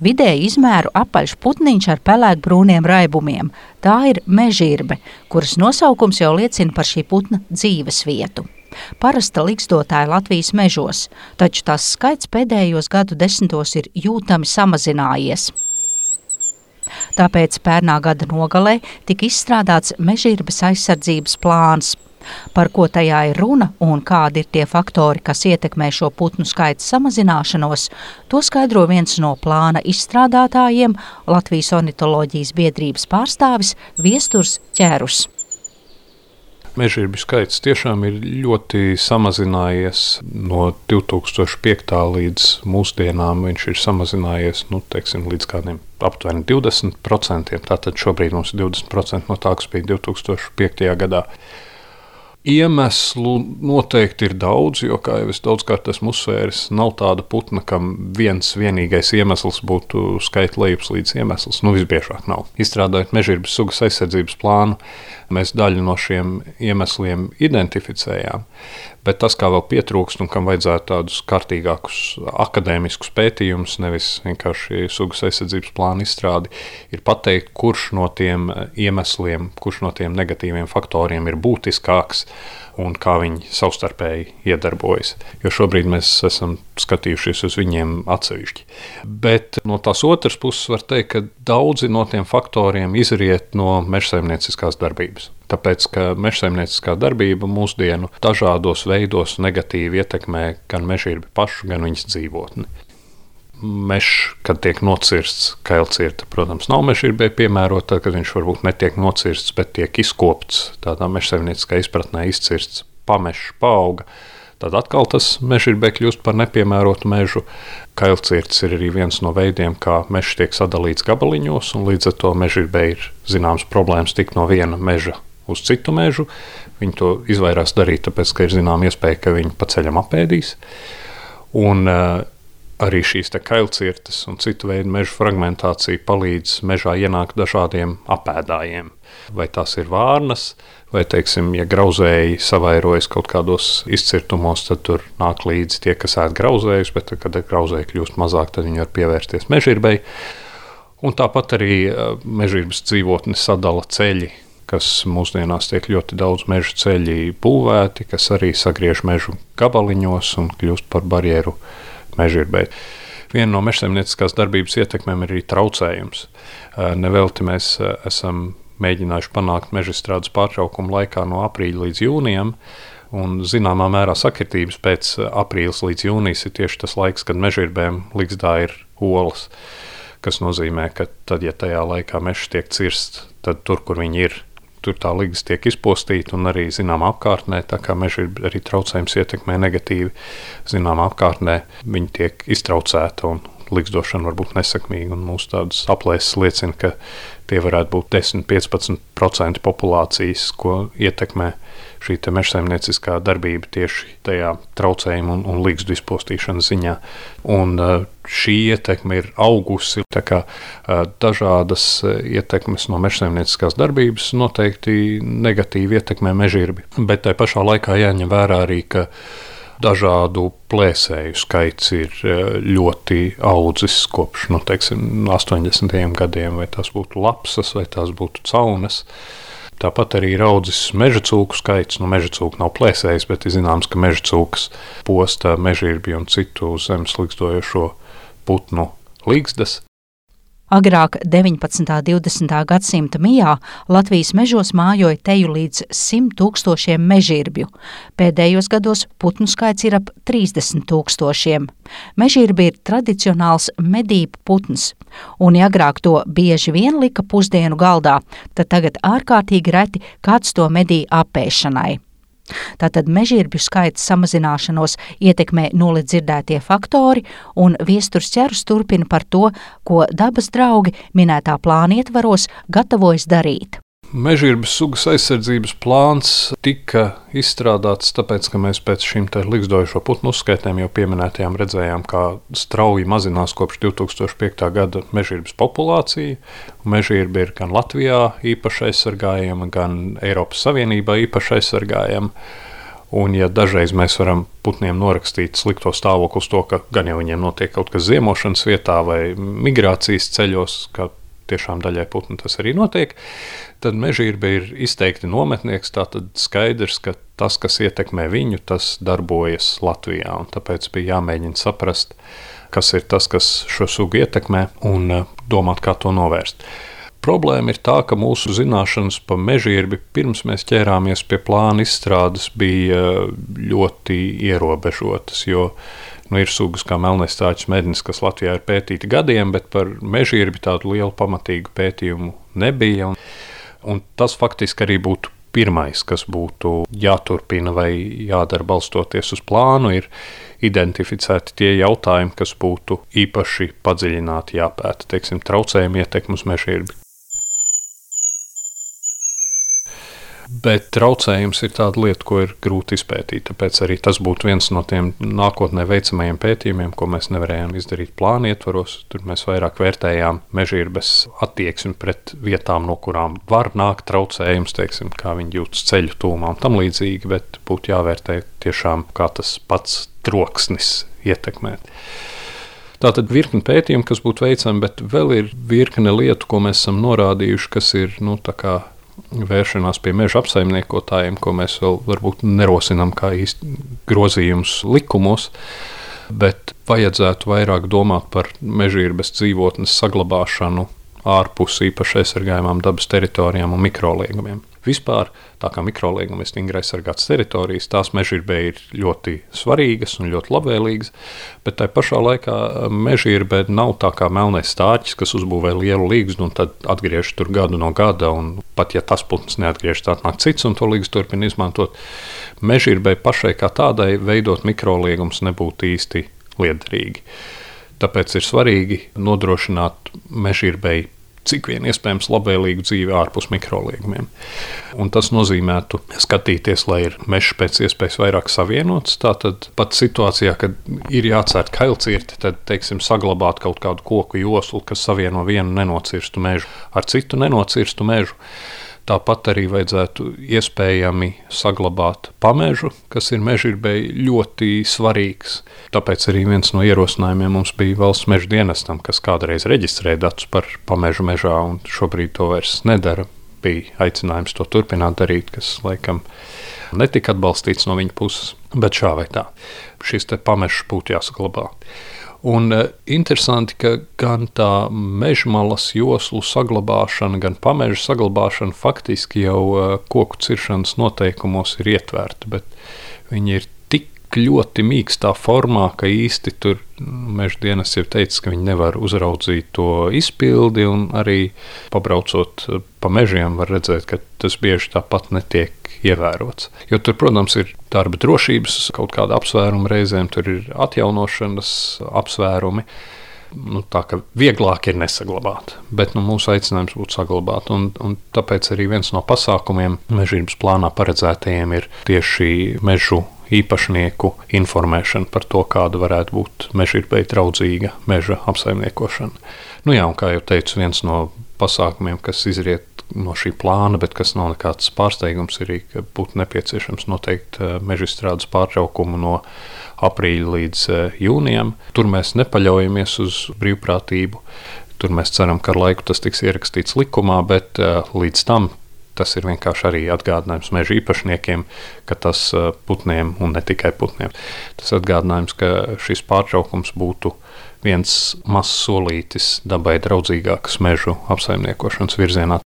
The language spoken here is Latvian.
Vidēji izmēru apaļš putniņš ar pelēkbrūniem raibumiem. Tā ir mežirbe, kuras nosaukums jau liecina par šī putna dzīves vietu. Parasta ligzdotāja Latvijas mežos, taču tās skaits pēdējos gadu desmitos ir jūtami samazinājies. Tāpēc pērnā gada nogalē tika izstrādāts mežirbes aizsardzības plāns. Par ko tajā ir runa un kādi ir tie faktori, kas ietekmē šo putnu skaita samazināšanos, to skaidro viens no plāna izstrādātājiem, Latvijas ornitoloģijas biedrības pārstāvis Viesturs Ķērus. Mežirbju skaits tiešām ir ļoti samazinājies no 2005. līdz mūsdienām. Viņš ir samazinājies līdz kādiem aptuveni 20%. Tātad šobrīd mums ir 20% no tā, kas bija 2005. gadā. Iemeslu noteikti ir daudz, jo, kā jau es daudzkārt esmu uzsvēris, nav tāda putna, kam vienīgais iemesls būtu skaita lejupslīdes iemesls. Visbiežāk nav. Izstrādājot mežirbes sugas aizsardzības plānu, mēs daļu no šiem iemesliem identificējām, bet tas, kā vēl pietrūkst un kam vajadzētu tādus kārtīgākus akadēmiskus pētījumus, nevis vienkārši sugas aizsardzības plānu izstrādi, ir pateikt, kurš no tiem iemesliem, kurš no tiem negatīviem faktoriem ir būtiskāks un kā viņi savstarpēji iedarbojas. Jo šobrīd mēs esam skatījušies uz viņiem atsevišķi. Bet no tās otras puses var teikt, ka daudzi no tiem faktoriem izriet no mežsaimnieciskās darbības. Tāpēc, ka mežsaimnieciskā darbība mūsdienu dažādos veidos negatīvi ietekmē gan mežirbi pašu, gan viņas dzīvotni. Mežs, kad tiek nocirsts, kailcirta, protams, nav mežirbai piemērota, tad, kad viņš varbūt netiek nocirsts, bet tiek izkopts, tādā mežsaimnieciskā izpratnē izcirsts pamešs, paauga, tad atkal tas mežirbai kļūst par nepiemērotu mežu. Kailcirts ir arī viens no veidiem, kā mežs tiek sadalīts gabaliņos, un līdz ar to mežirbai ir zināms problēmas tikt no viena meža uz citu mežu. Viņi to izvairās darīt, tāpēc, ka ir zinām iespēja, ka viņi pa ceļam apēdīs. Un arī šīs kailcirtes un citu veidu meža fragmentācija palīdz mežā ienākt dažādiem apēdājiem. Vai tās ir vārnas, vai, teiksim, ja grauzēji savairojas kaut kādos izcirtumos, tad tur nāk līdzi tie, kas ēd grauzējus, bet tad, kad grauzēji kļūst mazāk, tad viņi var pievērsties mežirbai. Un tāpat arī mežirbas dzīvotni sadala ceļi, kas mūsdienās tiek ļoti daudz meža ceļi būvēti, kas arī sagriež mežu gabaliņos un kļūst par barjeru mežirbai. Viena no mežsaimnieciskās darbības ietekmēm ir arī traucējums. Nevelti mēs esam mēģinājuši panākt mežstrādes pārtraukumu laikā no aprīļa līdz jūnijam, un zināmā mērā sakritības pēc aprīlis līdz jūnijas ir tieši tas laiks, kad mežirbēm ligzdā ir olas, kas nozīmē, ka tad, ja tajā laikā mežs tiek cirsts, tad tur, kur viņi ir, tur tā ligzda tiek izpostīta un arī zināmā apkārtnē, tā kā meža arī traucējums ietekmē negatīvi, zināmā apkārtnē viņi tiek iztraucēta un ligzdošana var būt nesakmīga, un mūsu tādas aplēses liecina, ka tie varētu būt 10–15% populācijas, ko ietekmē šī mežsaimnieciskā darbība tieši tajā traucējuma un ligzdu izpostīšanas ziņā. Un šī ietekme ir augusi, tā kā dažādas ietekmes no mežsaimnieciskās darbības noteikti negatīvi ietekmē mežirbi. Bet tai pašā laikā jāņem vērā arī, ka dažādu plēsēju skaits ir ļoti audzis kopš 80. gadiem, vai tās būtu lapsas, vai tās būtu caunes. Tāpat arī ir audzis meža cūku skaits. Meža cūka nav plēsējis, bet ir zināms, ka meža cūkas posta mežirbi un citu zemes ligzdojošo putnu ligzdas. Agrāk 19. 20. gadsimta mijā Latvijas mežos mājoja teju līdz 100 000 mežirbju. Pēdējos gados putnu skaits ir ap 30 000. Mežirbi ir tradicionāls medību putns, un ja agrāk to bieži vien lika pusdienu galdā, tad tagad ārkārtīgi reti kāds to medī apēšanai. Tātad mežirbju skaita samazināšanos ietekmē nulli dzirdētie faktori, un Viesturs Ķērus turpina par to, ko dabas draugi minētā plāna ietvaros gatavojas darīt. Mežirbes sugas aizsardzības plāns tika izstrādāts tāpēc, ka mēs pēc šīm ligzdojošo putnu uzskaitēm jau pieminētajām redzējām, kā strauji mazinās kopš 2005. gada mežirbes populācija. Mežirbi ir gan Latvijā īpaši aizsargājama, gan Eiropas Savienībā īpaši aizsargājama. Un ja dažreiz mēs varam putniem norakstīt slikto stāvokli uz to, ka gan jau viņiem notiek kaut kas ziemošanas vietā vai migrācijas ceļos, ka tiešām daļai putnu tas arī notiek, tad mežģīrbe ir izteikti nometnieks, tātad skaidrs, ka tas, kas ietekmē viņu, tas darbojas Latvijā. Un tāpēc bija jāmēģina saprast, kas ir tas, kas šo sugu ietekmē, un domāt, kā to novērst. Problēma ir tā, ka mūsu zināšanas par mežģīrbi pirms mēs ķērāmies pie plāna izstrādes bija ļoti ierobežotas, jo ir sugas kā melnais stāķis mednis, kas Latvijā ir pētīti gadiem, bet par mežģīrbi tādu lielu pamatīgu pētījumu nebija. Un tas faktiski arī būtu pirmais, kas būtu jāturpina vai jādara balstoties uz plānu, ir identificēti tie jautājumi, kas būtu īpaši padziļināti jāpēta, teiksim, traucējumi ietekmi uz mežģīrbi. Bet traucējums ir tāda lieta, ko ir grūti izpētīt, tāpēc arī tas būtu viens no tiem nākotnē veicamajiem pētījumiem, ko mēs nevarējām izdarīt plāna ietvaros. Tur mēs vairāk vērtējām mežģīrbes attieksmi pret vietām, no kurām var nākt traucējums, teiksim, kā viņi jūtas ceļu tūmā un tam līdzīgi, bet būtu jāvērtē tiešām, kā tas pats troksnis ietekmē. Tātad virkne pētījumu, kas būtu veicami, bet vēl ir virkne lietu, ko mēs esam norādījuši, kas ir, tā kā vēršanās pie meža apsaimniekotājiem, ko mēs vēl varbūt nerosinām kā īsti grozījums likumos, bet vajadzētu vairāk domāt par mežģīrbes dzīvotnes saglabāšanu ārpus īpaši aizsargājumām dabas teritorijām un mikroliegumiem. Vispār, tā kā mikroliegumi ir stingri aizsargātas teritorijas, tās mežģīrbē ir ļoti svarīgas un ļoti labvēlīgas, bet tai pašā laikā mežģīrbē nav tā kā melnais stāķis, kas uzbūvē lielu līgstu un tad atgriež tur gadu no gada, un pat ja tas putns neatgriež, tā nāk cits un to līgstu turpina izmantot. Mežģīrbē pašai kā tādai veidot mikroliegums nebūtu īsti liederīgi. Tāpēc ir svarīgi nodrošināt mežģīrbei cik vien iespējams labvēlīgu dzīvi ārpus mikroliegumiem. Un tas nozīmētu skatīties, lai ir mežs pēc iespējas vairāk savienots. Tātad pat situācijā, kad ir jācērt kailcirti, tad, teiksim, saglabāt kaut kādu koku joslu, kas savieno vienu nenocirstu mežu ar citu nenocirstu mežu. Tāpat arī vajadzētu iespējami saglabāt pamežu, kas ir mežģīrbei ļoti svarīgs. Tāpēc arī viens no ierosinājumiem mums bija valsts meža dienestam, kas kādreiz reģistrē datus par pamežu mežā un šobrīd to vairs nedara. Bija aicinājums to turpināt darīt, kas laikam netika atbalstīts no viņa puses, bet šā vai tā. Šis te pamežs būtu jāsaglabā. Un interesanti, ka gan tā mežmalas joslu saglabāšana, gan pameža saglabāšana faktiski jau koku ciršanas noteikumos ir ietverta, bet viņi ir tik ļoti mīkstā formā, ka īsti tur meža dienas jau teica, ka viņi nevar uzraudzīt to izpildi, un arī pabraucot pa mežiem var redzēt, ka tas bieži tāpat netiek ievērots. Jo tur, protams, ir darba drošības kaut kāda apsvēruma reizēm, tur ir atjaunošanas apsvērumi. Tā ka vieglāk ir nesaglabāt, bet mūsu aicinājums būtu saglabāt. Un tāpēc arī viens no pasākumiem mežģīrbes plānā paredzētajiem ir tieši mežu īpašnieku informēšana par to, kāda varētu būt mežģīrbei draudzīga meža apsaimniekošana. Un kā jau teicu, viens no pasākumiem, kas izriet no šī plāna, bet kas nav nekāds pārsteigums, ir, ka būtu nepieciešams noteikt meža izstrādes pārtraukumu no aprīļa līdz jūnijam. Tur mēs nepaļaujamies uz brīvprātību. Tur mēs ceram, ka ar laiku tas tiks ierakstīts likumā, bet līdz tam tas ir vienkārši arī atgādinājums meža īpašniekiem, ka tas putniem un ne tikai putniem. Tas atgādinājums, ka šis pārtraukums būtu viens mazs solītis dabai draudzīgākas mežu apsaimniekošanas virzienā.